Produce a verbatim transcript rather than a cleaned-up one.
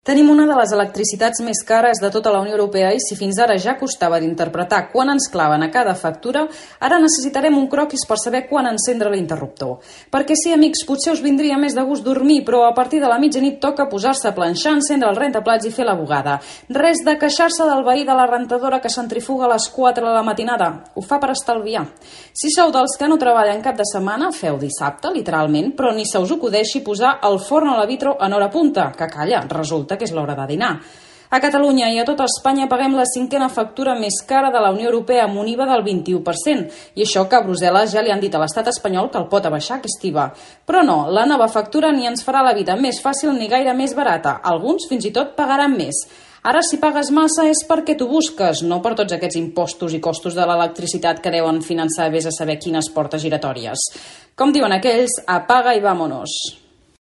Tenim una de les electricitats més cares de tota la Unió Europea i si fins ara ja costava d'interpretar quan ens claven a cada factura, ara necessitarem un croquis per saber quan encendre l'interruptor. Perquè sí, amics, potser us vindria més de gust dormir, però a partir de la mitjanit toca posar-se a planxar, encendre el rentaplats i fer la bugada. Res de queixar-se del veí de la rentadora que centrifuga a les quatre de la matinada. Ho fa per estalviar. Si sou dels que no treballen cap de setmana, feu dissabte, literalment, però ni se us acudeixi posar el forn a la vitro en hora punta, que calla, resulta que és l'hora de dinar. A Catalunya i a tota Espanya paguem la cinquena factura més cara de la Unió Europea amb un I V A del vint-i-u per cent. I això que a Brussel·les ja li han dit a l'estat espanyol que el pot abaixar aquest I V A. Però no, la nova factura ni ens farà la vida més fàcil ni gaire més barata. Alguns fins i tot pagaran més. Ara, si pagues massa és perquè t'ho busques, no per tots aquests impostos i costos de l'electricitat que deuen finançar vés a saber quines portes giratòries. Com diuen aquells, apaga i vámonos.